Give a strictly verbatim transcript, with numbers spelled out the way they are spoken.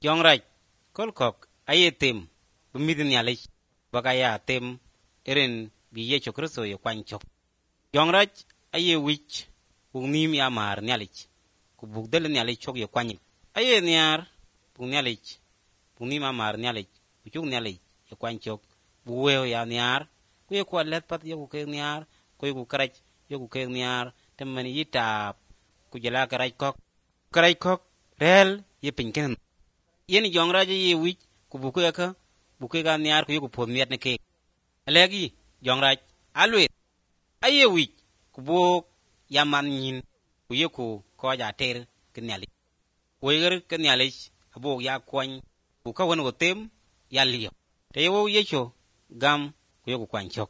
Jong rac kol kɔ̈k aye them bï mïthë Nhialic ba ka ya them ë rin bï Yecu Kërtho ye kuany cök. Jɔŋ rac aye wic buk nïïm ya maar Nhialic, ku buk dhil Nhialic cök ye kuanyic. Aye nhiaar buk Nhialic, buk nïïm a maar Nhialic, ku cuk Nhialic ye kuany cök, buk wëu ya nhiaar, ku ye ku alɛth path yok keek nhiaar, ku ye ku kërac yok keek nhiaar, të mën yï taap, ku jala kërac kɔ̈k. Kërac kɔ̈k rɛ̈ɛ̈l ye piny kënë. Yen jɔŋ rac aye wic, ku buk ke ka, buk kek aa nhiaar ku yok puoth miɛt në keek. Alɛ̈k yï jɔŋ rac alueeth, aye wic, ku buk ya man nyïïn, ku ye ku kɔc aa ter ke Nhialic. Woi ke Nhialic abuk ya kuany, ku kawën wo them ya liɔp. Te ye wok Yecu gam ku yok ku kuany cök.